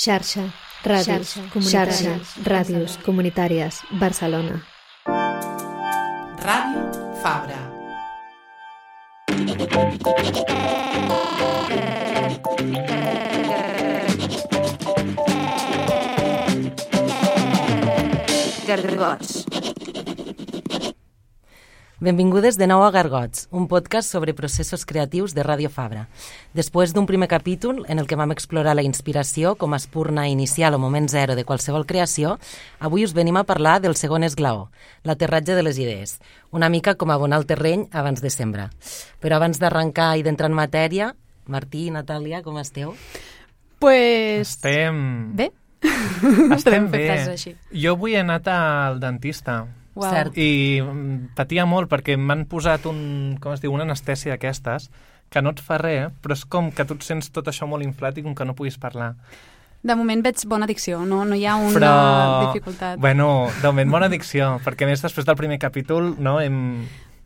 Xarxa, ràdios comunitàries, Barcelona. Ràdio Fabra. Gargots. Benvingudes de nou a Gargots, un podcast sobre processos creatius de Ràdio Fabra. Després d'un primer capítol en el que vam explorar la inspiració com a espurna inicial o moment zero de qualsevol creació, avui us venim a parlar del segon esglaó, l'aterratge de les idees, una mica com abonar el terreny abans de sembrar. Però abans d'arrencar i d'entrar en matèria, Martí i Natàlia, com esteu? Pues... Estem bé. Estem bé. Jo avui he anat al dentista. Wow. Cert. I patia molt perquè m'han posat una anestèsia d'aquestes que no et fa res, però és com que tu et sents tot això molt inflat i com que no puguis parlar. De moment veig bona dicció, no hi ha una dificultat. Bueno, de moment bona dicció, perquè a més després del primer capítol hem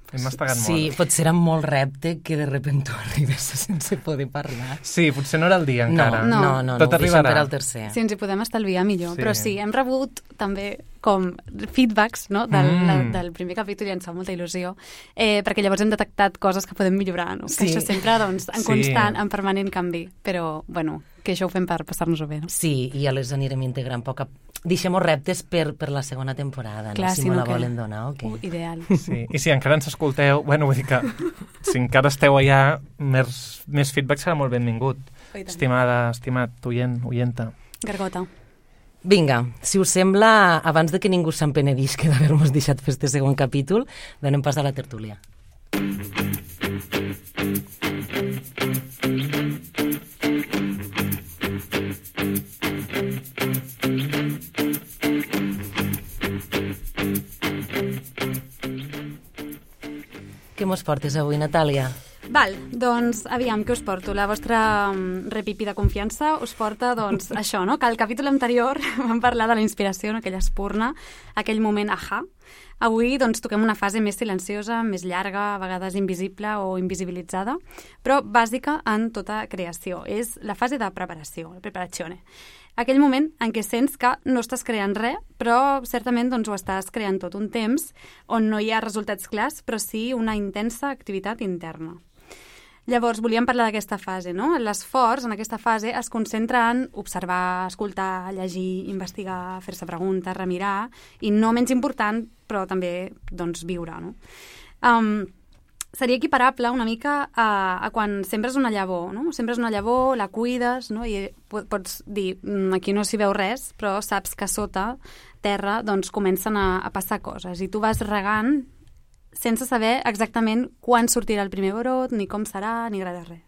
mastegat molt. Sí, potser era molt repte que de repente arribes sense poder parlar. Sí, potser no era el dia encara. No, Tot arribarà. per al tercer. Si ens hi podem estalviar millor, Sí. però sí, hem rebut també com feedbacks, no? del primer capítol i ens fa molta il·lusió, perquè llavors hem detectat coses que podem millorar, no? Sí. Que això sempre, doncs, en Sí. constant, en permanent canvi, però, bueno, que això ho fem per passar-nos-ho bé, no? Sí, i ja les anirem integrant poc a... Deixem-ho reptes per la segona temporada, Clar, no? Si si me no la que- volen donar, ok. Ideal. Sí. I si encara ens escolteu, vull dir que si encara esteu allà, més feedback serà molt benvingut. I tant. Estimat oienta. Gargota. Vinga, si us sembla, abans de que ningú se'n penedisca d'haver-nos deixat fer este segon capítol, donem pas a la tertúlia. Què mos portes avui, Natàlia? Val, doncs, aviam, què us porto? La vostra repipi de confiança us porta, doncs, això, no? Que al capítol anterior vam parlar de la inspiració, no? Aquella espurna, aquell moment ahà. Avui, doncs, toquem una fase més silenciosa, més llarga, a vegades invisible o invisibilitzada, però bàsica en tota creació. És la fase de preparació, la preparazione. Aquell moment en què sents que no estàs creant res, però certament doncs, ho estàs creant tot un temps on no hi ha resultats clars, però sí una intensa activitat interna. Llavors, volíem parlar d'aquesta fase, no? L'esforç en aquesta fase es concentra en observar, escoltar, llegir, investigar, fer-se preguntes, remirar, i no menys important, però també, doncs, viure, no? Seria equiparable una mica a quan sembres una llavor, no? Sembres una llavor, la cuides, no? I pots dir, aquí no s'hi veu res, però saps que sota terra doncs, comencen a passar coses, i tu vas regant sense saber exactament quan sortirà el primer brot, ni com serà, ni res de res.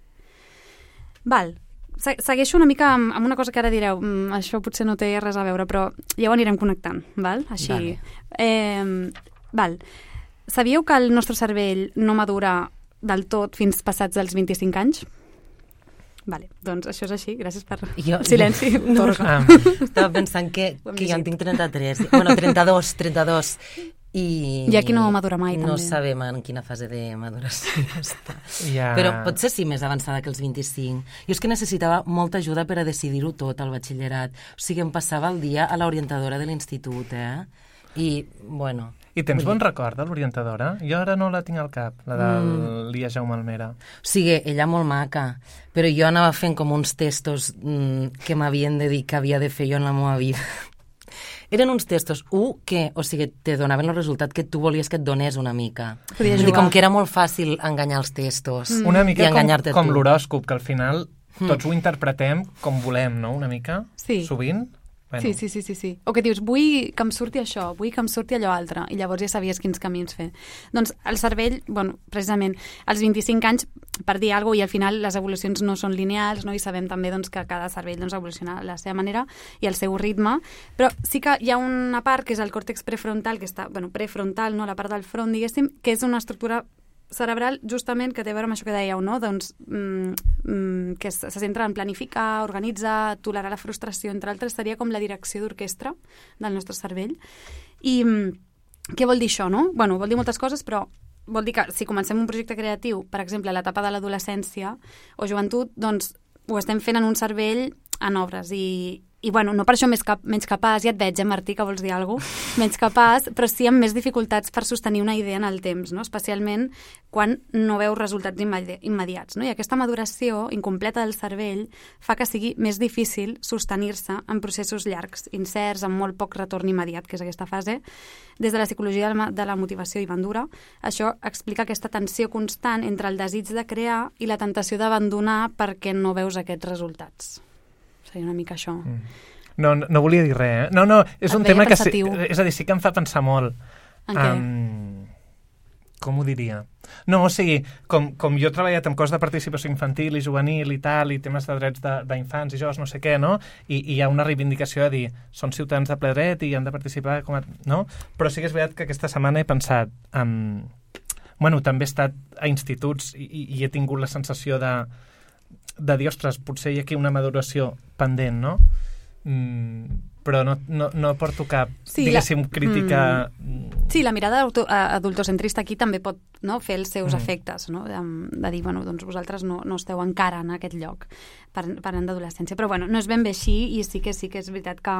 Val. Segueixo una mica amb una cosa que ara direu, això potser no té res a veure, però ja ho anirem connectant, val? Així. Vale. Val. Sabíeu que el nostre cervell no madura del tot fins passats els 25 anys? Vale, doncs això és així, gràcies per silenci. Estava pensant que jo en tinc 33, bueno, 32, i aquí no madura mai, no també. sabem en quina fase de maduració està. Ja. Però potser sí més avançada que els 25. Jo és que necessitava molta ajuda per a decidir-ho tot al batxillerat. O sigui, em passava el dia a l'orientadora de l'institut, I, bueno... I tens bon record de l'orientadora? Jo ara no la tinc al cap, la de Lia Jaume Almera. O sigui, ella molt maca, però jo anava fent com uns testos que m'havien de dir que havia de fer jo en la meva vida. Eren uns testos, que, o sigui, te donaven el resultat que tu volies que et donés una mica. Podia Vull dir, jugar. com que era molt fàcil enganyar els testos Una i mica enganyar-te com tu. l'horòscop, que al final tots ho interpretem com volem, no? Una mica, Sí. sovint. Bueno. Sí. O que dius, vull que em surti això, vull que em surti allò altre, i llavors ja sabies quins camins fer. Doncs el cervell, bueno, precisament, als 25 anys, per dir alguna cosa, i al final les evolucions no són lineals, no? I sabem també doncs, que cada cervell doncs, evoluciona a la seva manera i al seu ritme, però sí que hi ha una part que és el còrtex prefrontal, que està, prefrontal, no? La part del front, diguéssim, que és una estructura cerebral justament que té a veure amb això que dèieu, no? Doncs, que se centra en planificar, organitzar, tolerar la frustració, entre altres, seria com la direcció d'orquestra del nostre cervell. I què vol dir això, no? Bueno, vol dir moltes coses, però vol dir que si comencem un projecte creatiu, per exemple, a l'etapa de l'adolescència o joventut, doncs ho estem fent en un cervell en obres i I, bueno, no per això menys capaç, ja et veig, Martí, que vols dir alguna cosa, menys capaç, però sí amb més dificultats per sostenir una idea en el temps, no? Especialment quan no veus resultats immediats. No? I aquesta maduració incompleta del cervell fa que sigui més difícil sostenir-se en processos llargs, incerts, amb molt poc retorn immediat, que és aquesta fase. Des de la psicologia de la motivació i Bandura, això explica aquesta tensió constant entre el desig de crear i la tentació d'abandonar perquè no veus aquests resultats. Seria una mica això. No volia dir res, eh? No, és un tema que... És a dir, sí que em fa pensar molt. En què? Com ho diria? No, o sigui, com jo he treballat amb coses de participació infantil i juvenil i tal, i temes de drets d'infants i joves, no sé què, no? I hi ha una reivindicació de dir, són ciutadans de ple dret i han de participar, no? Però sí que és veritat que aquesta setmana he pensat... Bueno, també he estat a instituts i he tingut la sensació de dir, ostres, potser hi ha aquí una maduració pendent, no? Però no porto cap, diguéssim, crítica... Sí, la mirada adultocentrista aquí també pot, no, fer els seus efectes, no? De dir, bueno, doncs vosaltres no esteu encara en aquest lloc parlant d'adolescència. Però, bueno, no és ben bé així i sí que és veritat que...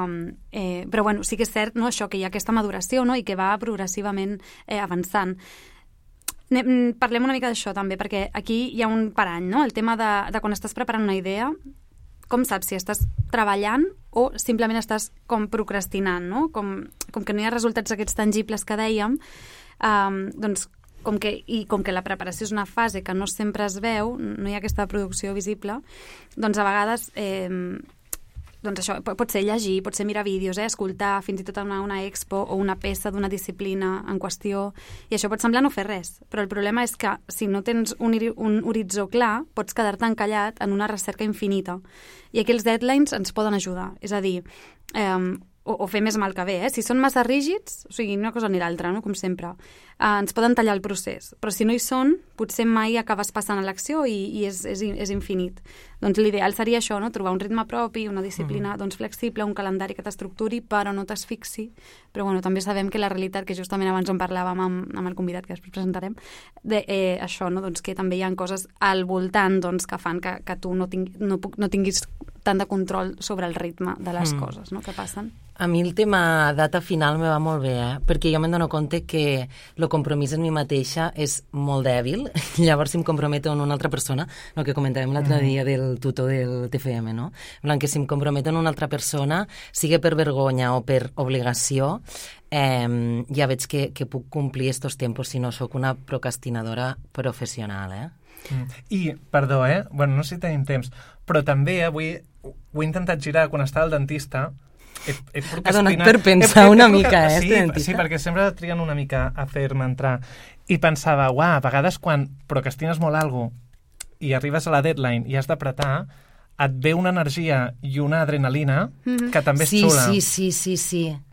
però, bueno, sí que és cert, no, això, que hi ha aquesta maduració, no?, i que va progressivament avançant. Parlem una mica d'això també, perquè aquí hi ha un parany, no? El tema de quan estàs preparant una idea, com saps si estàs treballant o simplement estàs com procrastinant, no? Com que no hi ha resultats aquests tangibles que dèiem, doncs com que la preparació és una fase que no sempre es veu, no hi ha aquesta producció visible, doncs a vegades... doncs això, pot ser llegir, pot ser mirar vídeos, escoltar fins i tot una expo o una peça d'una disciplina en qüestió, i això pot semblar no fer res, però el problema és que si no tens un horitzó clar, pots quedar-te encallat en una recerca infinita. I aquí els deadlines ens poden ajudar, és a dir, o fer més mal que bé, Si són massa rígids, o sigui, una cosa ni l'altra, no? Com sempre, ens poden tallar el procés, però si no hi són, potser mai acabes passant a l'acció i és infinit. Doncs l'ideal seria això, no? Trobar un ritme propi, una disciplina doncs, flexible, un calendari que t'estructuri, però no t'asfixi. Però bueno, també sabem que la realitat, que justament abans en parlàvem amb el convidat, que després presentarem, això, no? Doncs que també hi ha coses al voltant doncs, que fan que tu no tinguis tant de control sobre el ritme de les coses, no?, que passen. A mi el tema data final me va molt bé, perquè jo me'n dono compte que el compromís en mi mateixa és molt dèbil, llavors si em comprometo en una altra persona, el que comentàvem l'altre dia del tutor del TFM, no? Que si em comprometo en una altra persona, sigui per vergonya o per obligació, ja veig que puc complir estos tempos si no sóc una procrastinadora professional, I, perdó, bueno, no sé si tenim temps, però també avui ho he intentat girar quan estava al dentista. Ha donat per pensar una mica, Sí, perquè sempre triguen una mica a fer-me entrar. I pensava, a vegades quan procrastines molt alguna cosa i arribes a la deadline i has d'apretar, et ve una energia i una adrenalina que també és xula.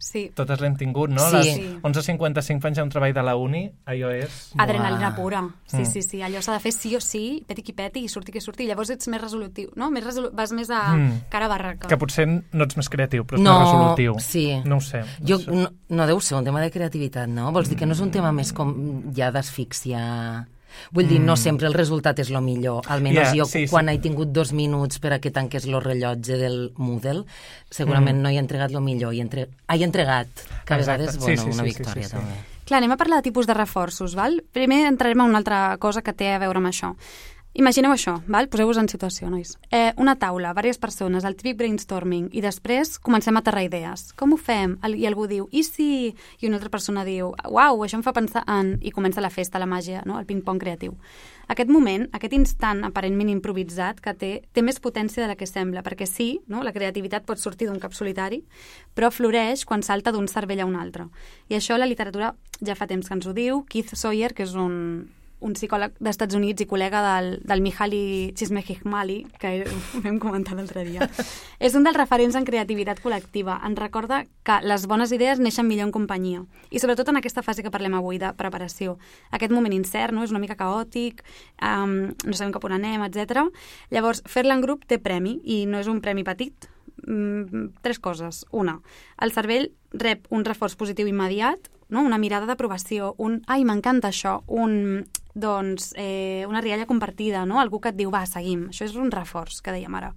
Sí. Totes l'hem tingut, no? Sí. Les 11:55 fan ja un treball de la uni, allò és... Adrenalina pura. Sí. Allò s'ha de fer sí o sí, peti qui peti, i surti qui surti, i llavors ets més resolutiu, no? Vas més a cara a barraca. Que potser no ets més creatiu, però ets més resolutiu. Sí. No ho sé. No deu ser un tema de creativitat, no? Vols dir que no és un tema més com ja d'asfíxia... Vull dir, no sempre el resultat és el millor. Almenys jo, quan he tingut 2 minuts per a que tanqués el rellotge del Moodle, segurament no he entregat el millor. He entregat, que a vegades és una victòria, també. Clar, anem a parlar de tipus de reforços, val? Primer entrarem en una altra cosa que té a veure amb això. Imagineu això, val? Poseu-vos en situació, nois. Una taula, diverses persones, el típic brainstorming, i després comencem a aterrar idees. Com ho fem? I algú diu, i si... I una altra persona diu, uau, això em fa pensar en... I comença la festa, la màgia, no? El ping-pong creatiu. Aquest moment, aquest instant aparentment improvisat que té més potència de la que sembla, perquè sí, no? La creativitat pot sortir d'un cap solitari, però floreix quan salta d'un cervell a un altre. I això la literatura ja fa temps que ens ho diu. Keith Sawyer, que és un psicòleg d'Estats Units i col·lega del Mihaly Csikszentmihalyi, que ho vam comentar l'altre dia. És un dels referents en creativitat col·lectiva. Ens recorda que les bones idees neixen millor en companyia. I sobretot en aquesta fase que parlem avui de preparació. Aquest moment incert, no? És una mica caòtic, no sabem cap on anem, etc. Llavors, fer-la en grup té premi, i no és un premi petit. 3 coses. Una, el cervell rep un reforç positiu immediat, no? Una mirada d'aprovació, ai, m'encanta això, una rialla compartida, no? Algú que et diu, va, seguim. Això és un reforç, que dèiem ara.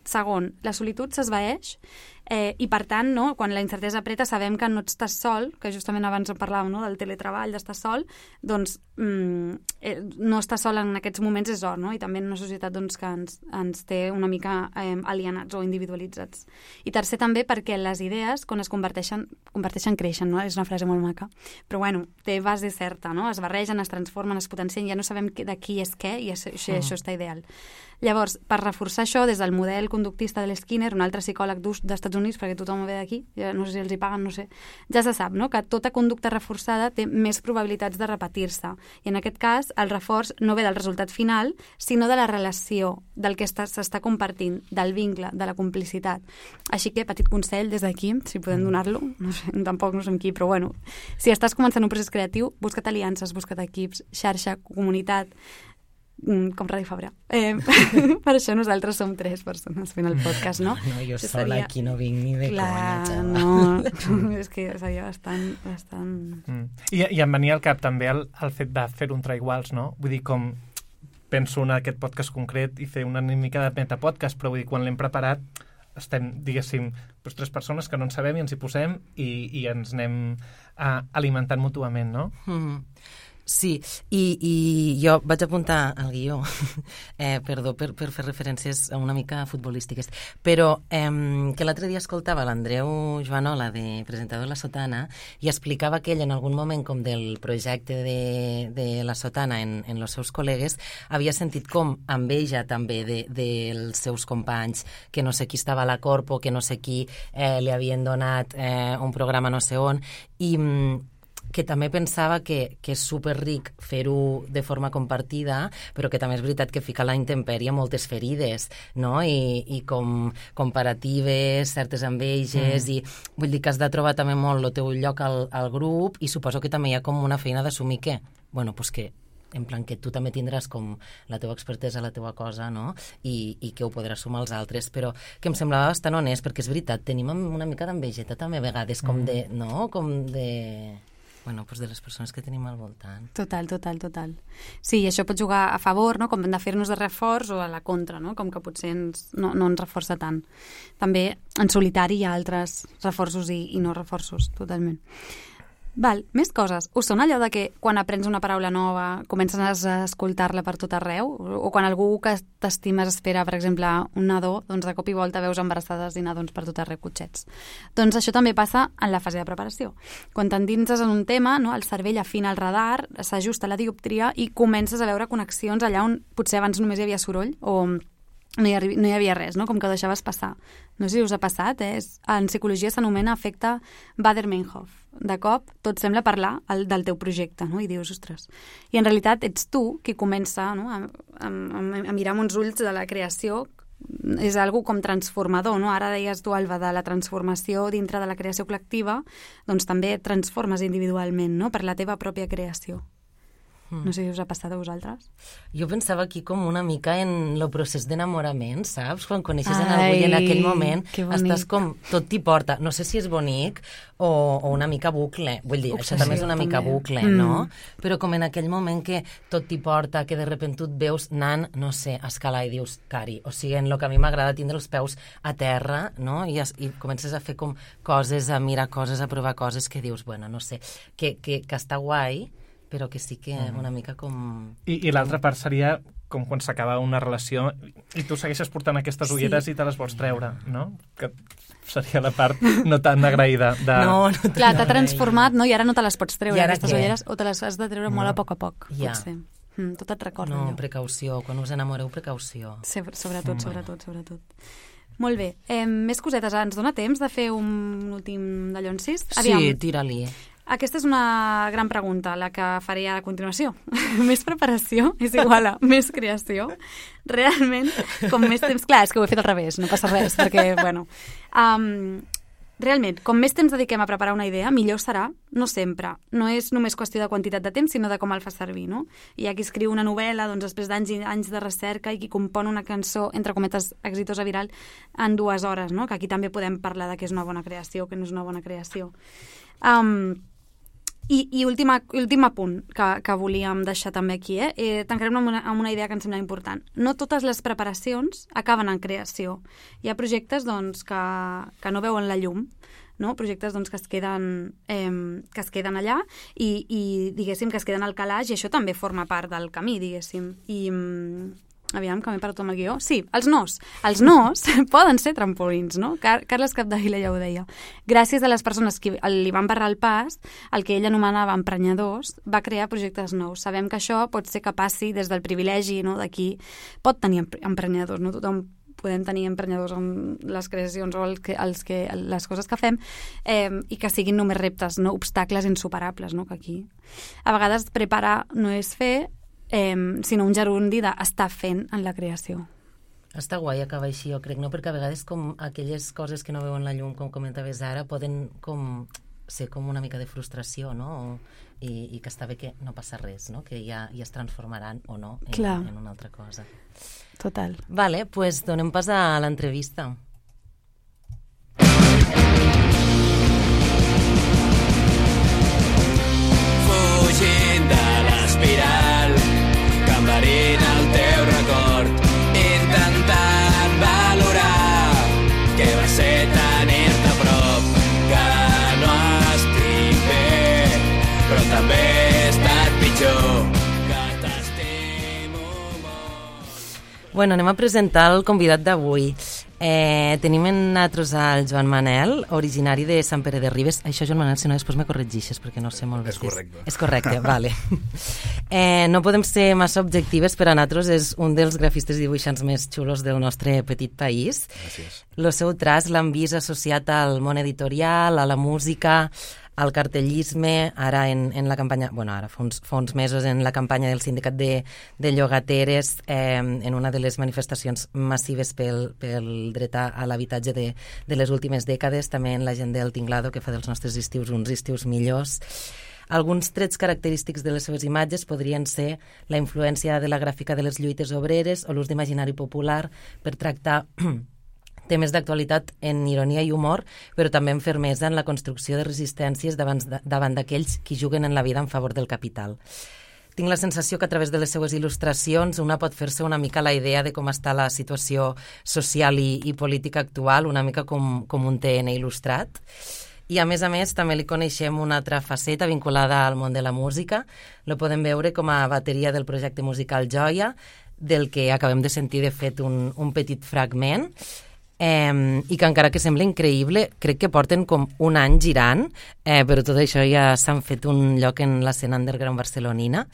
Segon, la solitud s'esvaeix i, per tant, no, quan la incertesa apreta sabem que no estàs sol, que justament abans parlàvem, no, del teletreball, d'estar sol, doncs no estar sol en aquests moments és or, no? I també en una societat doncs, que ens té una mica alienats o individualitzats. I tercer, també perquè les idees, quan es converteixen creixen, no? És una frase molt maca. Però, bueno, té base certa, no? Es barregen, es transformen, es potencien, ja no sabem de qui és què i això està ideal. Llavors, per reforçar això, des del model conductista de l'Skinner, un altre psicòleg d'Estats Units, perquè tothom ve d'aquí, no sé si els hi paguen, no sé, ja se sap, no?, que tota conducta reforçada té més probabilitats de repetir-se. I en aquest cas, el reforç no ve del resultat final, sinó de la relació, del que s'està compartint, del vincle, de la complicitat. Així que, petit consell des d'aquí, si podem donar-lo, no sé, tampoc no som qui, però bueno, si estàs començant un procés creatiu, busca't aliances, busca't equips, xarxa, comunitat, com Radio Fabra. Per això nosaltres som 3 persones fent el podcast, no? No, jo sola aquí no vinc ni de conya, xaval. No, és que seria bastant... I em venia al cap també el fet de fer un traiguals, no? Vull dir, com penso en aquest podcast concret i fer una mica de metapodcast, però vull dir, quan l'hem preparat estem, diguéssim, 3 persones que no en sabem i ens hi posem i ens anem alimentant mútuament, no? Sí, i jo vaig apuntar al guió, perdó per fer referències una mica futbolístiques, però que l'altre dia escoltava l'Andreu Joanola, de presentador de La Sotana, i explicava que ell en algun moment com del projecte de La Sotana en els seus col·legues havia sentit com enveja també dels seus companys, que no sé qui estava a la Corpo, que no sé qui li havien donat un programa no sé on, i que també pensava que és superric fer-ho de forma compartida, però que també és veritat que fica a la intempèrie moltes ferides, no? I com comparatives, certes enveges, i vull dir que has de trobar també molt el teu lloc al grup, i suposo que també hi ha com una feina d'assumir que, bueno, pues que en plan que tu també tindràs com la teva expertesa, la teva cosa, no? I que ho podràs sumar als altres, però que em semblava bastant honest, perquè és veritat, tenim una mica d'envegeta també a vegades, com de, no? Com de... Bueno, doncs de les persones que tenim al voltant. Total. Sí, i això pot jugar a favor, no?, com de fer-nos de reforç, o a la contra, no?, com que potser no ens reforça tant. També en solitari hi ha altres reforços i no reforços, totalment. Val, més coses. Us sona allò de que quan aprens una paraula nova comences a escoltar-la per tot arreu? O quan algú que t'estimes espera, per exemple, un nadó, doncs de cop i volta veus embarassades i nadons per tot arreu, cotxets. Doncs això també passa en la fase de preparació. Quan t'endinses en un tema, no, el cervell afina el radar, s'ajusta la dioptria i comences a veure connexions allà on potser abans només hi havia soroll o no hi havia res, no? Com que ho deixaves passar. No sé si us ha passat, en psicologia s'anomena efecte Baader-Meinhof. De cop tot sembla parlar del teu projecte, no? I dius, ostres. I en realitat ets tu qui comença, no?, a mirar amb uns ulls de la creació. És algo com transformador, no? Ara deies tu, Alba, de la transformació dintre de la creació col·lectiva, doncs també et transformes individualment, no?, per la teva pròpia creació. No sé si us ha passat a vosaltres. Jo pensava aquí com una mica en el procés d'enamorament, saps? Quan coneixes en algú i en aquell moment estàs com... Tot t'hi porta. No sé si és bonic o una mica bucle. Vull dir, això també és una mica bucle, no? Però com en aquell moment que tot t'hi porta, que de repente tu et veus anant, no sé, a escalar i dius, cari, o sigui, en el que a mi m'agrada tindre els peus a terra, no? I comences a fer com coses, a mirar coses, a provar coses que dius, bueno, no sé, que està guai, però que sí que una mica com... I l'altra part seria com quan s'acaba una relació i tu segueixes portant aquestes ulleres i te les vols treure, no? Que seria la part no tan agraïda. No clar, t'ha transformat, no? I ara no te les pots treure, aquestes ulleres, o te les has de treure molt a poc, potser. Tot et recorda allò. No, precaució. Quan us enamoreu, precaució. Sobretot. Molt bé. Més cosetes. Ens dona temps de fer un últim d'allò incís? Sí, tira-li. Aquesta és una gran pregunta, la que faré a continuació. Més preparació és igual a més creació. Realment, com més temps... Clar, és que ho he fet al revés, no passa res, perquè, bueno... Realment, com més temps dediquem a preparar una idea, millor serà, no sempre. No és només qüestió de quantitat de temps, sinó de com el fa servir, no? Hi ha qui escriu una novel·la, doncs, després d'anys i anys de recerca, i qui compon una cançó, entre cometes, exitosa viral, en 2 hores, no? Que aquí també podem parlar de què és una bona creació o què no és una bona creació. I últim apunt que volíem deixar també aquí, tancarem amb una idea que em sembla important. No totes les preparacions acaben en creació. Hi ha projectes doncs, que no veuen la llum, no? Projectes doncs, que es queden allà i diguéssim que es queden al calaix, i això també forma part del camí, diguéssim. I aviam, que m'he perdut amb el guió. Sí, els nos. Els nos poden ser trampolins, no? Carles Capdevila ja ho deia. Gràcies a les persones que li van barrar el pas, el que ell anomenava emprenyadors, va crear projectes nous. Sabem que això pot ser que passi des del privilegi, no? D'aquí pot tenir emprenyadors, no? Tothom podem tenir emprenyadors amb les creacions o les coses que fem, i que siguin només reptes, no? Obstacles insuperables, no? Que aquí a vegades preparar no és fer, sinó un gerundi d'estar fent en la creació. Està guai acabar així, jo crec, no? Perquè a vegades com aquelles coses que no veuen la llum, com comentaves ara, poden ser com una mica de frustració, no? I que està bé que no passa res, no? Que ja es transformaran o no en una altra cosa. Total. Vale, pues donem pas a l'entrevista. Fugint de l'espiral, cambarint el teu record, intentant valorar què va ser tenir-te a prop, que no estic bé, però també he estat pitjor, que t'estimo molt. Bueno, anem a presentar el convidat d'avui. Tenim en nosaltres el Joan Manel, originari de Sant Pere de Ribes. Això, Joan Manel, si no després me corregixes, perquè no sé molt bé. És correcte. És correcte, vale. No podem ser massa objectives, per a nosaltres és un dels grafistes i dibuixants més xulos del nostre petit país. Gràcies. El seu traç l'han vist associat al món editorial, a la música, al cartellisme, ara en la campanya, ara fa uns mesos en la campanya del sindicat de llogateres, en una de les manifestacions massives pel dret a l'habitatge de les últimes dècades, també en la gent del Tinglado, que fa dels nostres estius uns estius millors. Alguns trets característics de les seves imatges podrien ser la influència de la gràfica de les lluites obreres o l'ús d'imaginari popular per tractar temes d'actualitat en ironia i humor, però també en fermesa en la construcció de resistències davant d'aquells qui juguen en la vida en favor del capital. Tinc la sensació que a través de les seues il·lustracions una pot fer-se una mica la idea de com està la situació social i política actual, una mica com un TN il·lustrat. I a més, també li coneixem una altra faceta vinculada al món de la música. Lo podem veure com a bateria del projecte musical Joia, del que acabem de sentir, de fet, un petit fragment, i que encara que sembla increïble, crec que porten com un any girant, però tot això ja s'han fet un lloc en l'escena underground barcelonina,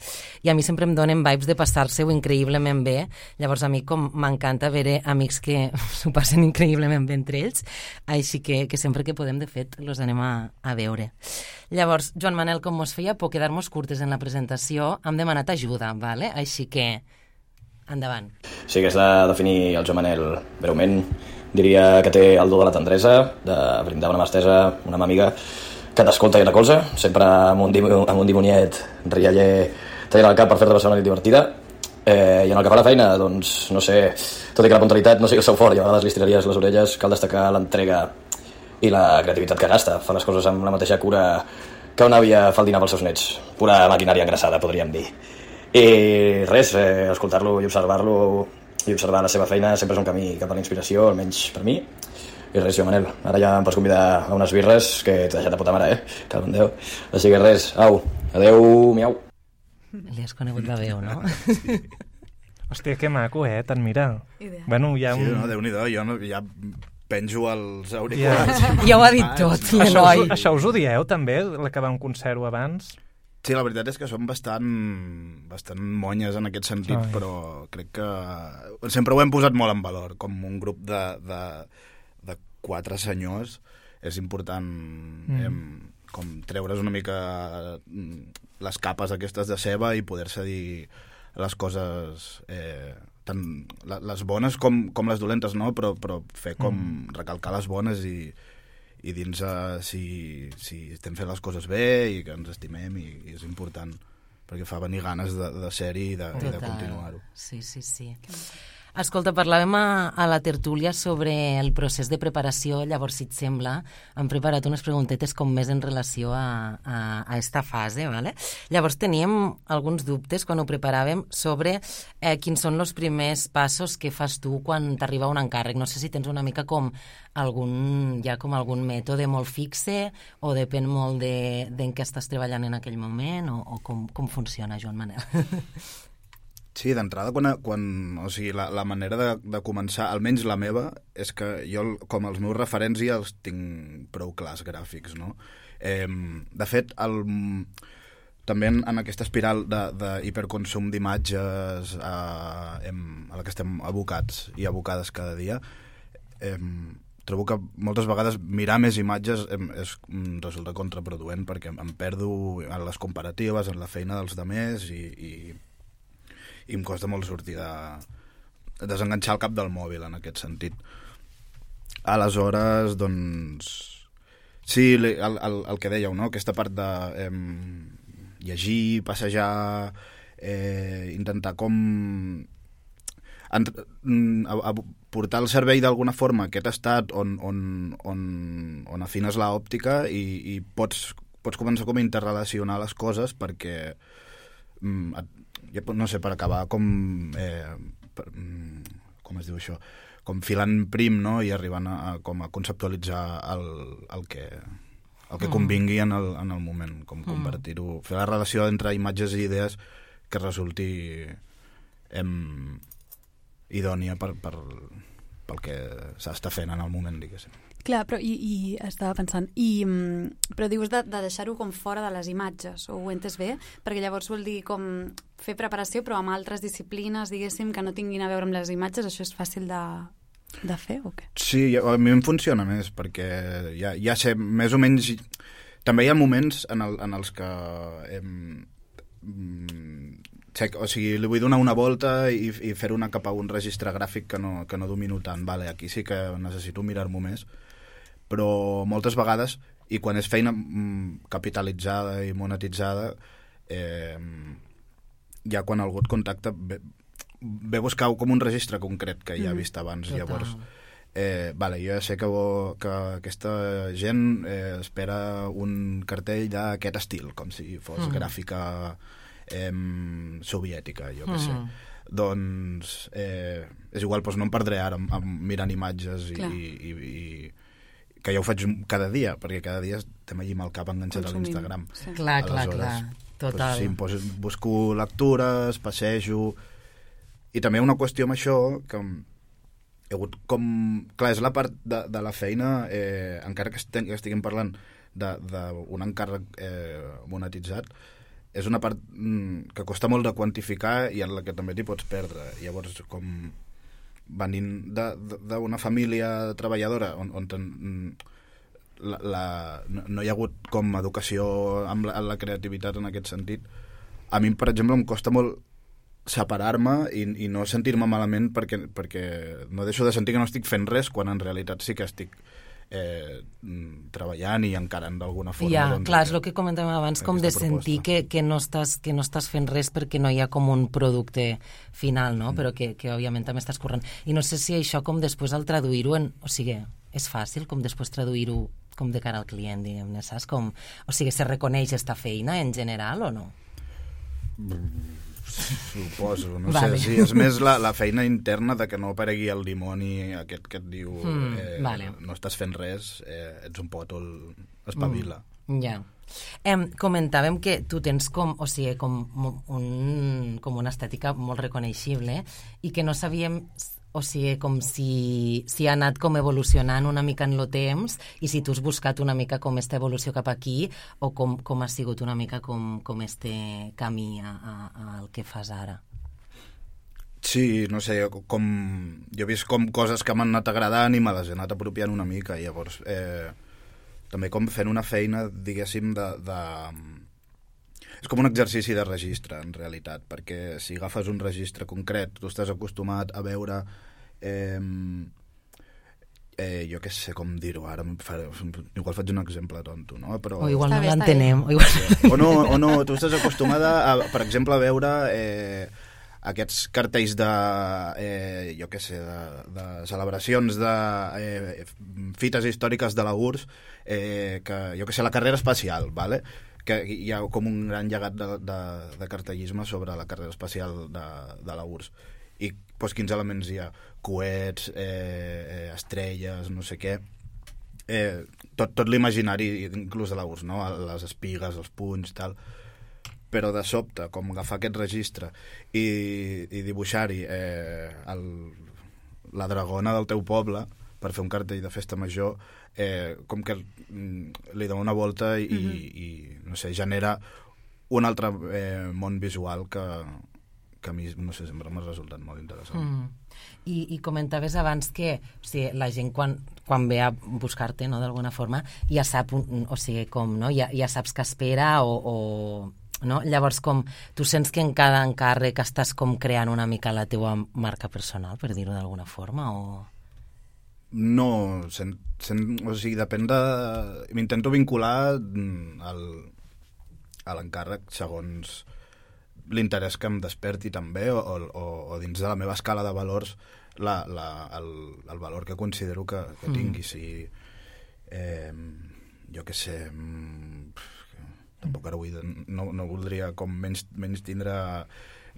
i a mi sempre em donen vibes de passar-se-ho increïblement bé. Llavors a mi com m'encanta veure amics que s'ho passen increïblement bé entre ells, així que sempre que podem, de fet, los anem a veure. Llavors, Joan Manel, com mos feia por quedar-nos curtes en la presentació, hem demanat ajuda, vale? Així que endavant. Si hagués de definir el Joan Manel breument, diria que té el do de la tendresa, de brindar una mà estesa, una mà amiga que t'escolta i recolza, sempre amb un dimoniet rialler tallant el cap per fer-te passar una nit divertida. I en el que fa la feina, doncs, no sé, tot i que la puntualitat no sigui el seu fort i a vegades li estiraries les orelles, cal destacar l'entrega i la creativitat que gasta. Fa les coses amb la mateixa cura que una àvia fa el dinar pels seus nets. Pura maquinària engraçada, podríem dir. I res, escoltar-lo i observar-lo i observar la seva feina sempre és un camí cap a la inspiració, almenys per mi. I res, Joan Manel, ara ja em pots convidar a unes birres, que t'he deixat de puta mare, Cago en Déu. Així que res, au, adeu, miau. Li has conegut la veu, no? Sí. Hòstia, que maco, t'admira. Bueno, ja Sí, no, Déu-n'hi-do, jo ja penjo els auriculars. Ja ho ha dit tot, l'Eloi. Això us ho dieu, també, l'acabar un concert abans? Sí, la veritat és que som bastant monyes en aquest sentit, però crec que sempre ho hem posat molt en valor. Com un grup de 4 senyors és important com treure's una mica les capes aquestes de ceba i poder-se dir les coses tant les bones com les dolentes, no? Però fer com recalcar les bones i dins si estem fent les coses bé i que ens estimem, i és important perquè fa venir ganes de ser-hi i de continuar-ho. Sí. Escolta, parlàvem a la tertúlia sobre el procés de preparació, llavors, si et sembla, hem preparat unes preguntetes com més en relació a esta fase, ¿vale? Llavors teníem alguns dubtes quan ho preparàvem sobre quins són els primers passos que fas tu quan t'arriba un encàrrec. No sé si tens una mica com algun mètode molt fixe o depèn molt d'en què estàs treballant en aquell moment o com funciona, Joan Manel. Sí, d'entrada, o sigui, la manera de començar, almenys la meva, és que jo, com els meus referents, ja els tinc prou clars gràfics, no? De fet, també en aquesta espiral d'hiperconsum d'imatges a la que estem abocats i abocades cada dia, trobo que moltes vegades mirar més imatges resulta contraproduent, perquè em perdo en les comparatives, en la feina dels demés i em costa molt sortir desenganxar el cap del mòbil en aquest sentit. Aleshores, doncs, sí, el que dèieu, no? Aquesta part de llegir, passejar, intentar portar al cervell d'alguna forma aquest estat on afines l'òptica i pots començar com a interrelacionar les coses perquè no sé, per acabar com es diu això, com filant prim, no? I arribant a conceptualitzar el que convingui en el moment, com convertir-ho, fer la relació entre imatges i idees que resulti idònia pel que s'està fent en el moment, diguéssim. Clar, però i estava pensant, però dius de deixar-ho com fora de les imatges, o ho entes bé? Perquè llavors vol dir com fer preparació, però amb altres disciplines, diguéssim, que no tinguin a veure amb les imatges, això és fàcil de fer o què? Sí, a mi em funciona més, perquè ja sé, més o menys... També hi ha moments en els que... o sigui, li vull donar una volta i fer una cap a un registre gràfic que no domino tant. Vale, aquí sí que necessito mirar-m'ho més, però moltes vegades, i quan és feina capitalitzada i monetitzada, ja quan algú et contacta ve buscar com un registre concret que ja ha vist abans. Total. Llavors, jo ja sé que aquesta gent espera un cartell d'aquest estil, com si fos gràfica soviètica, jo què sé. Doncs és igual, doncs no em perdré ara mirant imatges i que ja ho faig cada dia, perquè cada dia estem allà amb el cap enganxat a l'Instagram. Sí. Clar, total. Doncs, sí, busco lectures, passejo, i també una qüestió amb això que he hagut com... Clar, és la part de la feina, encara que estiguem parlant d'un encàrrec monetitzat, és una part que costa molt de quantificar i en la que també t'hi pots perdre. Llavors, com venint d'una família treballadora on no hi ha hagut com educació amb la creativitat en aquest sentit, a mi, per exemple, em costa molt separar-me i no sentir-me malament perquè no deixo de sentir que no estic fent res quan en realitat sí que estic treballant i encarant d'alguna forma. Ja, clar, és el que comentàvem abans, com de sentir que no estàs fent res perquè no hi ha com un producte final, no? Però que òbviament també estàs corrent. I no sé si això com després al traduir-ho o sigui, és fàcil com després traduir-ho com de cara al client, diguem-ne, saps? O sigui, se reconeix esta feina en general o no? Suposo, no sé, sí, és més la feina interna de que no aparegui el dimoni aquest que et diu no estàs fent res, ets un pòtol, espavila. Ja. Comentàvem que tu tens com una estètica molt reconeixible i que no sabíem com si ha anat com evolucionant una mica en el temps i si tu has buscat una mica com esta evolució cap aquí o com ha sigut una mica com este camí al que fas ara. Sí, no sé, jo he vist com coses que m'han anat agradant i me les he anat apropiant una mica, i llavors també com fent una feina, diguéssim, és com un exercici de registre, en realitat, perquè si agafes un registre concret, tu estàs acostumat a veure... jo què sé com dir-ho ara, igual faig un exemple tonto, no? Però... O igual no l'entenem. O no, tu estàs acostumada, per exemple, a veure aquests cartells de, jo què sé, de celebracions de fites històriques de la URSS, que, jo què sé, la carrera espacial, ¿vale? Que hi ha com un gran llegat de cartellisme sobre la carrera espacial de la URSS. I doncs, quins elements hi ha? Coets, estrelles, no sé què. Tot l'imaginari, inclús de la URSS, no? Les espigues, els punys, tal. Però de sobte, com agafar aquest registre i dibuixar-hi la dragona del teu poble per fer un cartell de festa major, com que li dona una volta i no sé, genera un altre món visual que a mi, no sé, sempre m'ha resultat molt interessant. I comentaves abans que, o sigui, la gent quan ve a buscar-te, no, d'alguna forma, ja sap, o sigui, com, no? Ja saps què espera o no? Llavors, com tu sents que en cada encàrrec estàs com creant una mica la teua marca personal, per dir-ho d'alguna forma, o...? No, o sigui, depèn de... M'intento vincular a l'encàrrec segons l'interès que em desperti també, o dins de la meva escala de valors el valor que considero que tingui. Si, jo què sé... Tampoc ara no voldria com menys tindre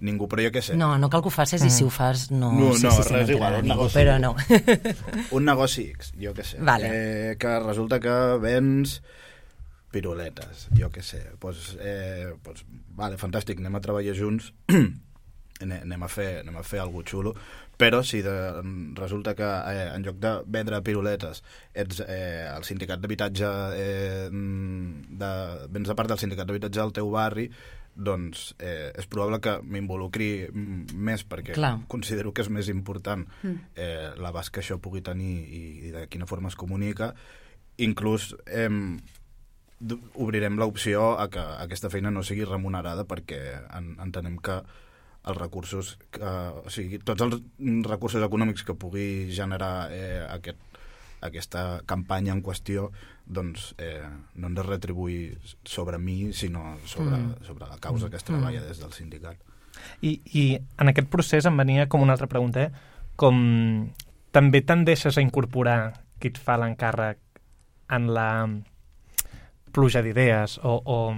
ningú, però jo què sé. No cal que ho facis i si ho fas no sé si res igual, un negoci, però no. Un negoci X, jo què sé. Vale. Que resulta que vens piruletes, jo què sé. Vale, fantàstic, anem a treballar junts, anem a fer alguna xulo, però si resulta que en lloc de vendre piruletes ets el sindicat d'habitatge vens de part del sindicat d'habitatge del teu barri, doncs és probable que m'involucri més perquè considero que és més important l'abast que això pugui tenir i de quina forma es comunica. Inclús obrirem l'opció a que aquesta feina no sigui remunerada perquè entenem que els recursos, o sigui, tots els recursos econòmics que pugui generar aquesta campanya en qüestió, doncs no han de retribuir sobre mi, sinó sobre la causa que es treballa des del sindicat. I en aquest procés em venia com una altra pregunta, com també tendeixes a incorporar qui et fa l'encàrrec en la pluja d'idees o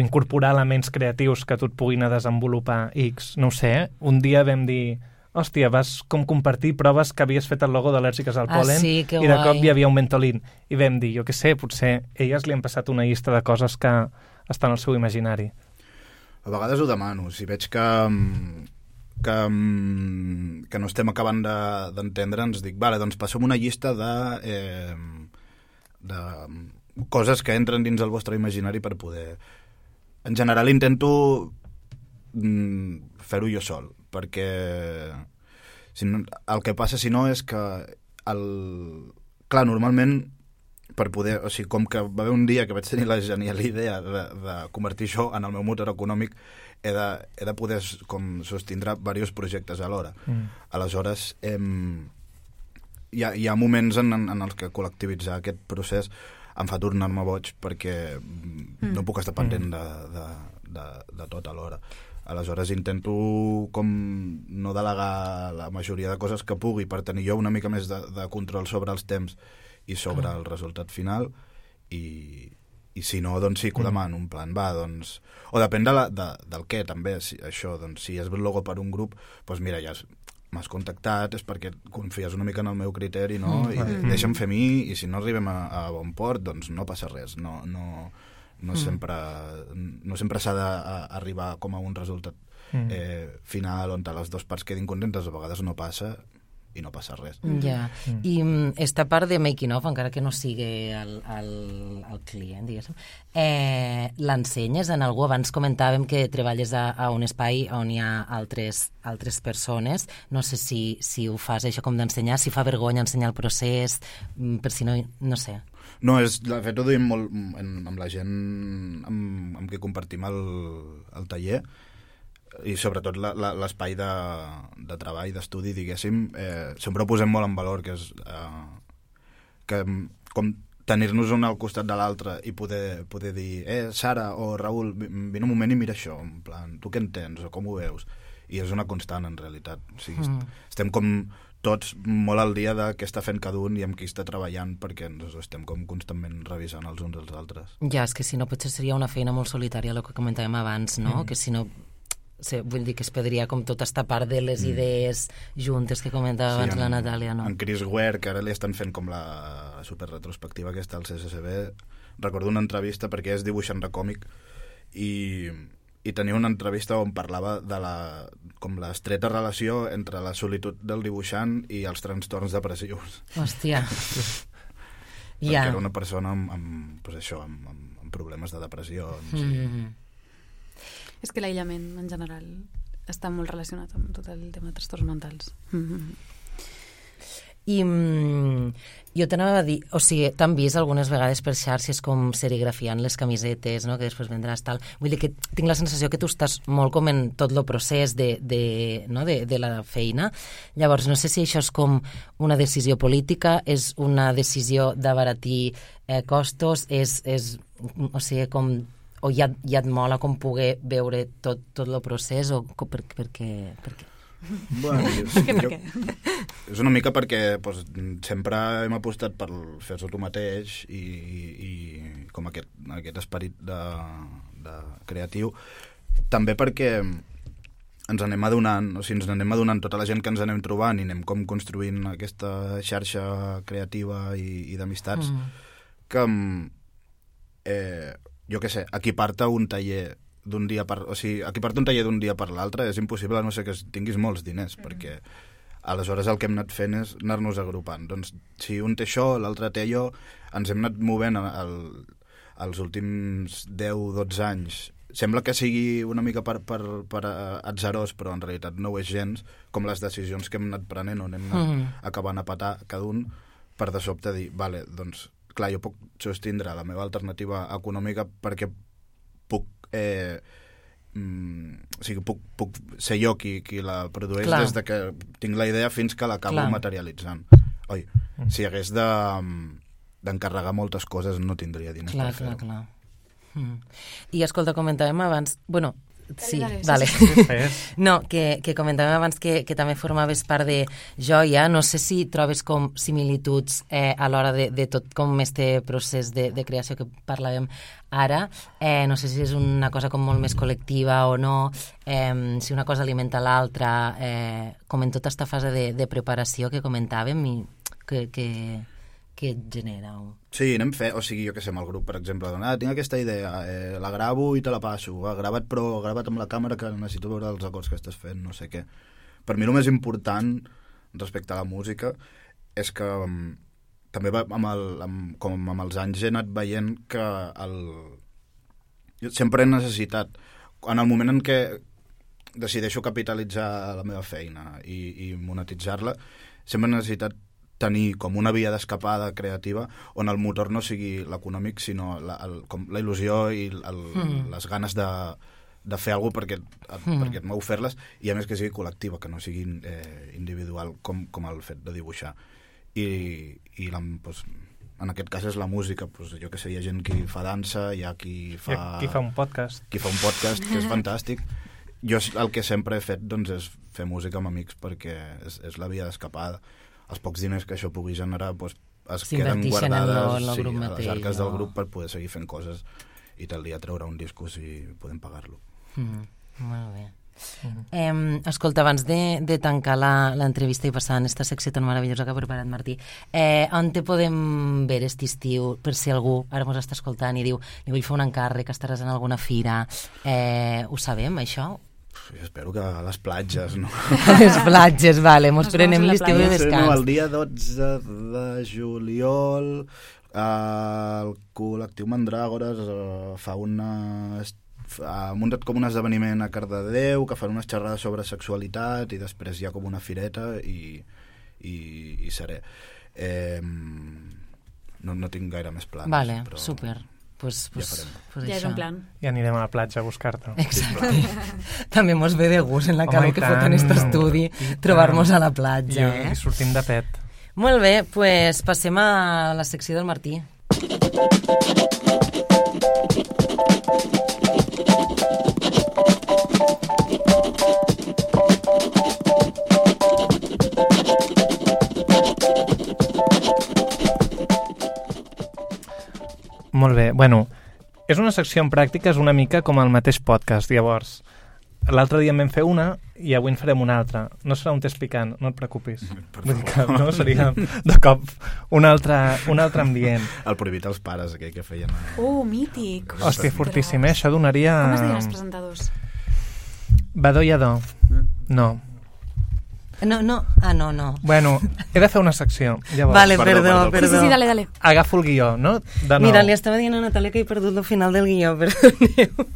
incorporar elements creatius que tu et puguin a desenvolupar X, no ho sé, un dia vam dir, hòstia, vas com compartir proves que havies fet el logo d'al·lèrgiques al pol·len sí, i de cop hi havia un Ventolin i vam dir, jo què sé, potser elles li han passat una llista de coses que estan al seu imaginari. A vegades ho demano, si veig que no estem acabant d'entendre'ns, dic, vale, doncs passem una llista de coses que entren dins el vostre imaginari per poder... En general intento fer-ho jo sol, perquè el que passa si no és que clar, normalment per poder, o sigui, com que va haver un dia que vaig tenir la genial idea de convertir això en el meu motor econòmic, he de poder com sostindre diversos projectes alhora. Aleshores, hi ha moments en els que col·lectivitzar aquest procés em fa tornar-me boig perquè no puc estar pendent de tot alhora. Aleshores intento com no delegar la majoria de coses que pugui per tenir jo una mica més de control sobre els temps i sobre el resultat final i si no, doncs sí que ho demano, un plan, va, doncs... O depèn del què, també, això, doncs si és el logo per un grup, doncs mira, ja m'has contactat, és perquè confies una mica en el meu criteri, no? I deixa'm fer mi, i si no arribem a bon port, doncs no passa res. No sempre s'ha d'arribar com a un resultat final on les dues parts quedin contentes, a vegades no passa i no passa res. Ja. I esta part de making of, encara que no sigui el client, diguéssim, l'ensenyes en algú? Abans comentàvem que treballes a un espai on hi ha altres persones. No sé si ho fas això com d'ensenyar, si fa vergonya ensenyar el procés, per si no sé. No, de fet ho duim molt amb la gent amb qui compartim el taller, i sobretot l'espai de treball, d'estudi, diguéssim, sempre ho posem molt en valor, que és que com tenir-nos un al costat de l'altre i poder dir, Sara o Raül, vine un moment i mira això, en plan, tu què entens o com ho veus? i és una constant, en realitat. O sigui, estem com tots molt al dia de què està fent cada un i amb qui està treballant, perquè ens estem com constantment revisant els uns als altres. Ja, és que si no potser seria una feina molt solitària, el que comentàvem abans, no? Que si no, vull dir que es perdria com tota esta part de les idees juntes que comentava abans la Natàlia, no? En Chris Ware, que ara li estan fent com la superretrospectiva aquesta al CSCB, recordo una entrevista perquè és dibuixant de còmic i tenia una entrevista on parlava de com l'estreta relació entre la solitud del dibuixant i els trastorns depressius. Hòstia. Perquè era una persona amb problemes de depressió. És que l'aïllament, en general, està molt relacionat amb tot el tema de trastorns mentals. I jo t'anava a dir, o sigui, t'han vist algunes vegades per xarxes com serigrafiant les camisetes, no?, que després vendràs tal. Vull dir que tinc la sensació que tu estàs molt com en tot el procés de la feina. Llavors, no sé si això és com una decisió política, és una decisió d'abaratir costos, o sigui, com o ja et mola com poder veure tot el procés, o per què? Bueno, és una mica perquè sempre hem apostat per fer-ho tu mateix i com aquest esperit de creatiu. També perquè ens anem adonant tota la gent que ens anem trobant i anem com construint aquesta xarxa creativa i d'amistats que jo què sé, equipar-te un taller d'un dia per l'altre és impossible, a no ser que tinguis molts diners, perquè aleshores el que hem anat fent és anar-nos agrupant. Doncs si un té això, l'altre té allò, ens hem anat movent els últims 10-12 anys. Sembla que sigui una mica per atzarós, però en realitat no ho és gens, com les decisions que hem anat prenent, on hem anat acabant a petar cada un, per de sobte dir, vale, doncs, clar, jo puc sostindre la meva alternativa econòmica perquè puc puc ser jo qui la produeix des de que tinc la idea fins que l'acabo materialitzant. Si hagués d'encarregar moltes coses no tindria diners per fer-ho. Clar. I escolta, comentàvem abans... Bueno, sí, vale. No, que comentàvem abans que també formaves part de Joia. No sé si trobes com similituds a l'hora de tot com este procés de creació que parlàvem ara. No sé si és una cosa com molt més col·lectiva o no, si una cosa alimenta l'altra, com en tota aquesta fase de preparació que comentàvem i que et genera. Sí, anem fent, o sigui, jo què sé, amb el grup, per exemple, tinc aquesta idea, la gravo i te la passo, grava't amb la càmera que necessito veure els acords que estàs fent, no sé què. Per mi el més important respecte a la música és que també com amb els anys he anat veient que jo sempre he necessitat, en el moment en què decideixo capitalitzar la meva feina i monetitzar-la, sempre he necessitat tenir com una via d'escapada creativa on el motor no sigui l'econòmic, sinó com la il·lusió i les ganes de fer alguna cosa perquè et mou fer-les, i a més que sigui col·lectiva, que no sigui individual com el fet de dibuixar. I en aquest cas és la música, jo que sé, hi ha gent que fa dansa, hi ha qui fa un podcast. Que és fantàstic. Jo el que sempre he fet doncs, és fer música amb amics perquè és la via d'escapada. Els pocs diners que això pugui generar es queden guardades a les arques del grup per poder seguir fent coses i tal dia treure un disco si podem pagar-lo. Molt bé. Escolta, abans de tancar l'entrevista i passar en aquesta secció tan meravellosa que ha preparat Martí, on te podem veure aquest estiu, per si algú ara mos està escoltant i diu, li vull fer un encàrrec, estaràs en alguna fira, ho sabem, això? Jo espero que a les platges, no? A les platges, vale, mos prenem l'estiu de descans. El dia 12 de juliol el col·lectiu Mandràgores ha muntat com un esdeveniment a Cardedeu que fan unes xerrades sobre sexualitat i després hi ha com una fireta i seré. No tinc gaire més plans. Vale, però super. Ja és un plan. I anirem a la platja a buscar-te. Exacte. També mos ve de gust en la calor que fot en aquest estudi trobar-nos a la platja. I sortim de pet. Molt bé, doncs passem a la secció del Martí. Molt bé. Bueno, és una secció en pràctica, és una mica com el mateix podcast. Llavors, l'altre dia en vam fer una i avui en farem una altra. No serà un test picant, no et preocupis. Vull dir que no seria de cop un altre ambient. El prohibit als pares, aquell que feien... Mític. Hòstia, fortíssim, Això donaria... Com es diuen els presentadors? Badó i adó. No. No. Bueno, he de fer una secció. Llavors, Vale, perdó. Sí, dale. agafo el guió, no? De nou. Mira, li estava dient a Natàlia que he perdut el final del guió, perdoneu.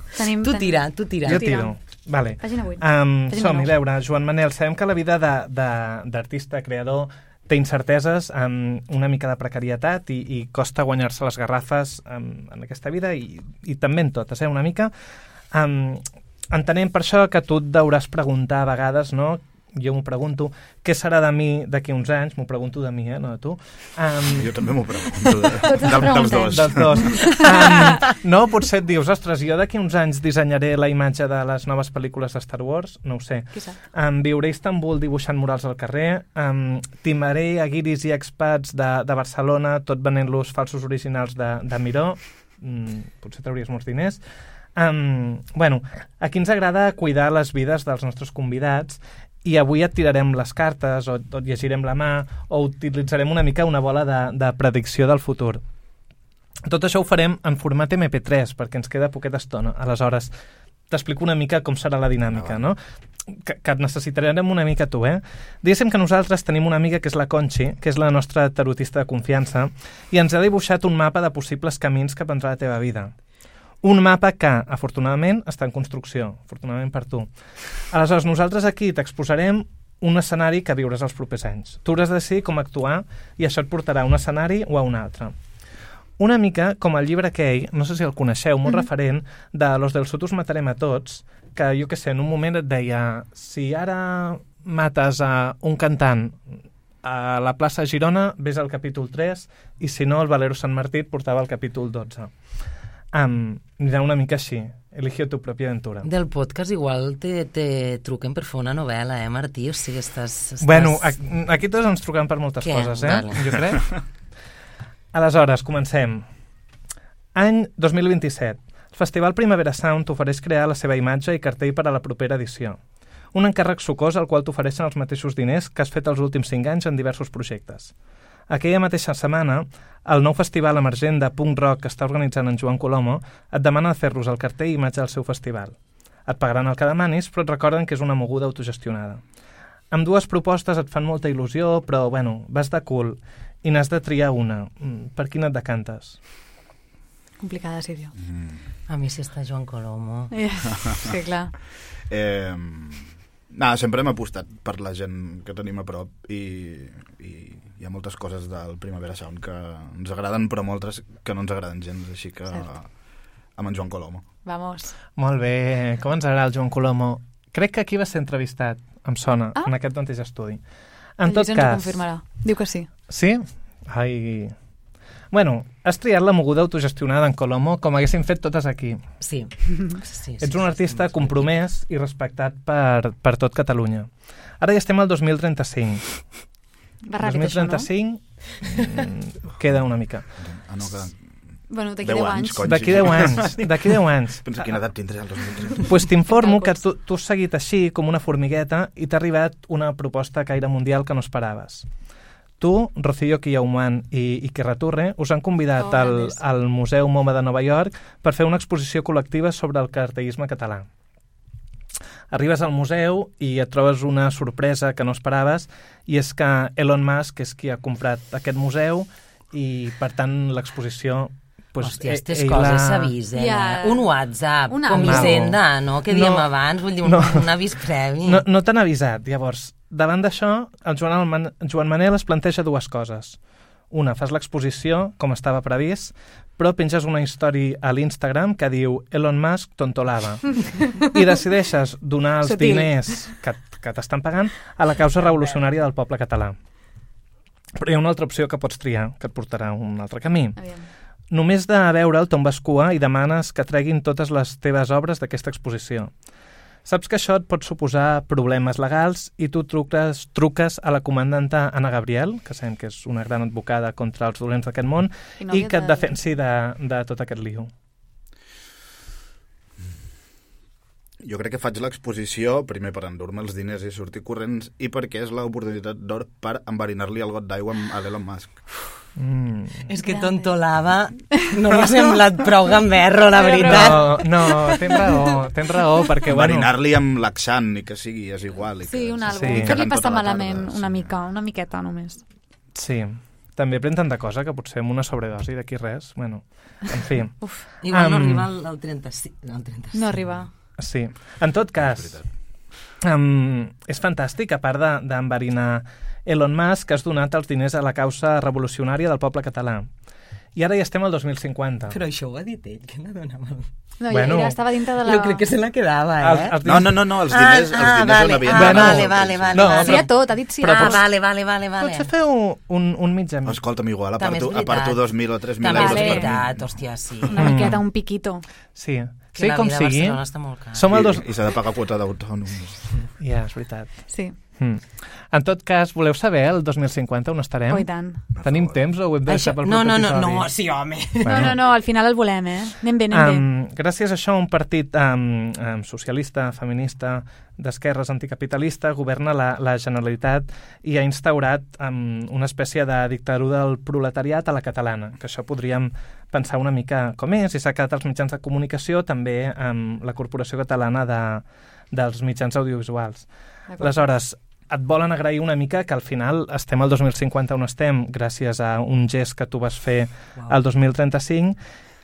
Tu tira. Jo tiro. Vale. Pàgina 8. Som-hi, a veure, Joan Manel, sabem que la vida d'artista, creador, té incerteses, una mica de precarietat i costa guanyar-se les garrafes en aquesta vida i també en totes, una mica. Entenem per això que tu et deuràs preguntar a vegades, no?, jo m'ho pregunto, què serà de mi d'aquí uns anys? M'ho pregunto de mi, no de tu. Jo també m'ho pregunto. Dels dos. No, potser et dius, ostres, jo d'aquí uns anys dissenyaré la imatge de les noves pel·lícules de Star Wars, no ho sé. Viuré a Istanbul dibuixant murals al carrer, timaré a guiris i expats de Barcelona, tot venent-los falsos originals de Miró, potser trauries molts diners. Bueno, aquí ens agrada cuidar les vides dels nostres convidats i avui et tirarem les cartes o et llegirem la mà o utilitzarem una mica una bola de predicció del futur. Tot això ho farem en format MP3 perquè ens queda poqueta estona. Aleshores, t'explico una mica com serà la dinàmica, no? Que et necessitarem una mica tu, Diguéssim que nosaltres tenim una amiga que és la Conchi, que és la nostra tarotista de confiança, i ens ha dibuixat un mapa de possibles camins que prendrà la teva vida. Un mapa que, afortunadament, està en construcció, afortunadament per tu. Aleshores, nosaltres aquí t'exposarem un escenari que viuràs els propers anys. Tu hauràs de decidir com actuar i això et portarà a un escenari o a un altre. Una mica com el llibre aquell, no sé si el coneixeu, molt referent, de Los del Sud us matarem a tots, que jo què sé, en un moment et deia si ara mates a un cantant a la plaça Girona, ves al capítol 3 i si no, el Valero Sant Martí et portava al capítol 12. Anirà una mica així. Elige tu pròpia aventura. Del podcast igual te truquen per fer una novel·la, Martí? O sigui, estàs... Bueno, aquí tots ens truquen per moltes coses, Vale. Jo crec. Aleshores, comencem. Any 2027. El Festival Primavera Sound t'ofereix crear la seva imatge i cartell per a la propera edició. Un encàrrec sucós al qual t'ofereixen els mateixos diners que has fet els últims 5 anys en diversos projectes. Aquella mateixa setmana, el nou festival emergent de punk rock que està organitzant en Joan Colomo et demana de fer-los el cartell i imatge del seu festival. Et pagaran el que demanis, però et recorden que és una moguda autogestionada. Amb dues propostes et fan molta il·lusió, però, bueno, vas de cul i n'has de triar una. Per quina et decantes? Complicada decisió. A mi si està Joan Colomo. Sí, clar. Sempre hem apostat per la gent que tenim a prop i hi ha moltes coses del Primavera Sound que ens agraden, però moltes que no ens agraden gens, així que amb en Joan Colomo. Vamos. Molt bé, com ens agrada el Joan Colomo. Crec que aquí va ser entrevistat, em sona, en aquest mateix estudi. En tot cas... ens ho confirmarà. Diu que sí. Sí? Ai... Bueno, has triat la moguda autogestionada en Colomo com haguéssim fet totes aquí. Sí. Ets un artista compromès i respectat per tot Catalunya. Ara ja estem al 2035. Va ràpid, 2035 això, no? Queda una mica. Bueno, d'aquí 10 anys. D'aquí 10 anys. Pensa quina edat tindré el 2030. Pues t'informo que tu has seguit així com una formigueta i t'ha arribat una proposta a caire mundial que no esperaves. Tu, Rocío Quillaumán i Iker Raturre us han convidat al Museu MoMA de Nova York per fer una exposició col·lectiva sobre el cartellisme català. Arribes al museu i et trobes una sorpresa que no esperaves i és que Elon Musk és qui ha comprat aquest museu i, per tant, l'exposició... Hòstia, aquestes coses s'avisen. Un WhatsApp, com Hisenda, no? Que diem abans, vull dir, un avís previ. No t'han avisat. Llavors, davant d'això, el Joan Manel es planteja dues coses. Una, fas l'exposició, com estava previst, però penges una història a l'Instagram que diu Elon Musk tontolava. I decideixes donar els diners que t'estan pagant a la causa revolucionària del poble català. Però hi ha una altra opció que pots triar, que et portarà a un altre camí. Només de veure'l tombes cua i demanes que treguin totes les teves obres d'aquesta exposició. Saps que això et pot suposar problemes legals i tu truques a la comandanta Anna Gabriel, que sabem que és una gran advocada contra els dolents d'aquest món, i que et defensi de tot aquest lío. Jo crec que faig l'exposició, primer per endur-me els diners i sortir corrents, i perquè és l'oportunitat d'or per enverinar-li el got d'aigua a l'Elon Musk. És que tontolava no m'ha semblat prou gamberro, la veritat. No, tens raó, perquè... Enverinar-li amb laxant, ni que sigui, és igual. Sí, un algo. Sí. Fer-li passar malament una miqueta només. Sí, també pren tanta cosa que potser amb una sobredosi d'aquí res, bueno, en fi. Igual no arriba al 35. No arriba. Sí, en tot cas, és fantàstic, a part d'enverinar Elon Musk, has donat els diners a la causa revolucionària del poble català. I ara ja estem al 2050. Però això ho ha dit ell, que la donava... No, ja estava dintre de la... Jo crec que se la quedava, No, els diners on havien... Vale. Sí a tot, ha dit sí. Vale. Potser feu un mig a mig. Escolta'm, igual, aparto 2.000 o 3.000 euros. També és veritat, hòstia, sí. Una miqueta, un piquito. Sí, que la com vida sigui, a Barcelona està molt cara. I s'ha de pagar quota d'autònoms. Ja, és veritat. Sí. En tot cas, voleu saber el 2050 on estarem? Oh, i tant. Tenim temps o ho hem de deixar pel proper episodi? No, sí, home. No, al final el volem, Anem bé. Gràcies a això, un partit socialista, feminista, d'esquerres, anticapitalista, governa la Generalitat i ha instaurat una espècie de dictadura del proletariat a la catalana, que això podríem pensar una mica com és, i s'ha quedat als mitjans de comunicació, també amb la Corporació Catalana dels Mitjans Audiovisuals. Aleshores, et volen agrair una mica que al final estem al 2050 on estem gràcies a un gest que tu vas fer al 2035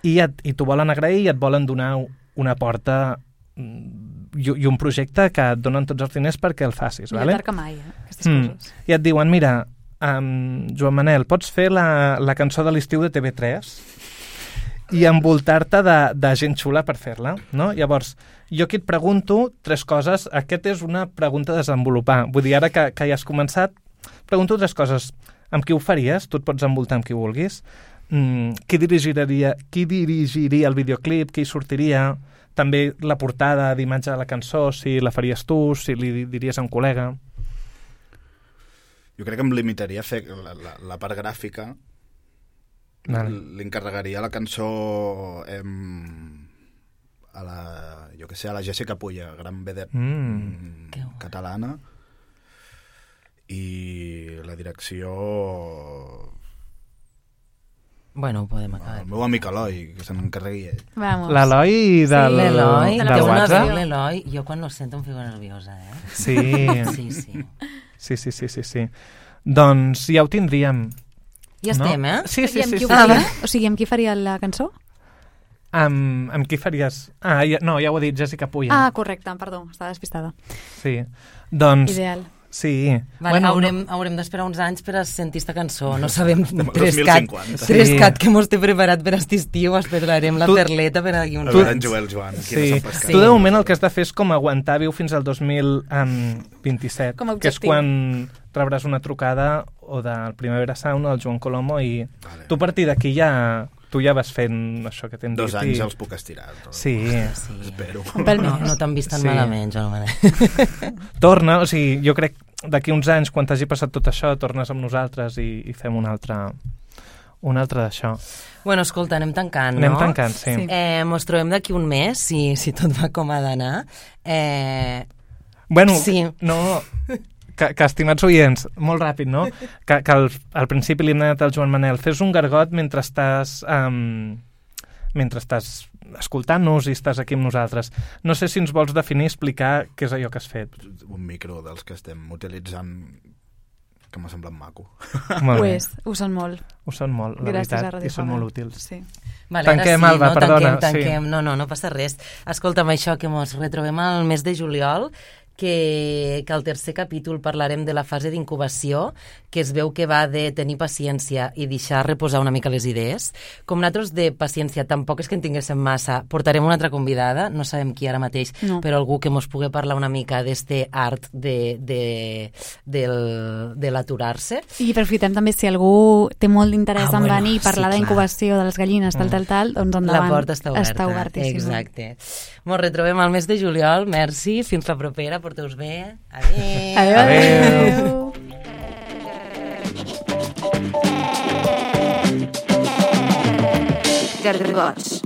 i t'ho volen agrair i et volen donar una porta i un projecte que et donen tots els diners perquè el facis. Millor tard que mai, aquestes coses. I et diuen, mira, Joan Manel, pots fer la cançó de l'estiu de TV3 i envoltar-te de gent xula per fer-la, no? Llavors, jo aquí et pregunto 3 coses. Aquesta és una pregunta a desenvolupar. Vull dir, ara que ja has començat, pregunto 3 coses. Amb qui ho faries? Tu et pots envoltar amb qui vulguis. Qui dirigiria el videoclip? Qui sortiria? També la portada d'imatge de la cançó, si la faries tu, si li diries a un col·lega. Jo crec que em limitaria a fer la part gràfica. Li encarregaria la cançó a la Jessica Puya, gran vedet catalana, i la direcció... Bueno, ho podem acabar. El meu amic Eloi, que se n'encarregui ell. L'Eloi del WhatsApp? L'Eloi, jo quan lo sento em fico nerviosa, Sí. Sí. Doncs ja ho tindríem. Ja estem, Sí. O sigui, amb qui faria la cançó? Amb qui faries... no, ja ho he dit, Jessica Puya. Correcte, perdó, estava despistada. Sí, doncs... Ideal. Sí. Vale, haurem d'esperar uns anys per a sentir esta cançó. No sabem... 2050. Trescat que mos té preparat per aquest estiu. Esperarem la perleta per aquí uns anys. Joan. Sí. Tu de moment el que has de fer és com aguantar viu fins al 2027, que és quan rebràs una trucada o del Primavera Sound o del Joan Colomo i tu a partir d'aquí tu ja vas fent això que t'hem dit. 2 anys els puc estirar. Sí. Espero. No t'han vist tan malament, Joan Manel. Torna, o sigui, jo crec d'aquí uns anys, quan t'hagi passat tot això, tornes amb nosaltres i fem un altre d'això. Bueno, escolta, anem tancant, no? Anem tancant, sí. Mos trobem d'aquí un mes, si tot va com ha d'anar. Bueno, sí. No... Que, estimats oients, molt ràpid, no? Que al principi li hem anat al Joan Manel, fes un gargot mentre estàs escoltant-nos i estàs aquí amb nosaltres. No sé si ens vols definir, explicar què és allò que has fet. Un micro dels que estem utilitzant que m'ha semblat maco. Ho són molt. Ho són molt, la veritat, i són molt útils. Sí. Vale, tanquem, Alba, perdona. Tanquem. No passa res. Escolta'm, això, que mos retrobem al mes de juliol, que al tercer capítol parlarem de la fase d'incubació, que es veu que va de tenir paciència i deixar reposar una mica les idees. Com nosaltres de paciència tampoc és que en tinguéssim massa, portarem una altra convidada, no sabem qui ara mateix, però algú que mos pugui parlar una mica d'este art de l'aturar-se. I aprofitem també, si algú té molt d'interès en venir i parlar d'incubació de les gallines, tal, doncs endavant. La porta està oberta. Està obertíssima. Exacte. Ens retrobem al mes de juliol, merci, fins la propera, porteu-vos bé. Adéu. Adéu. Gargots.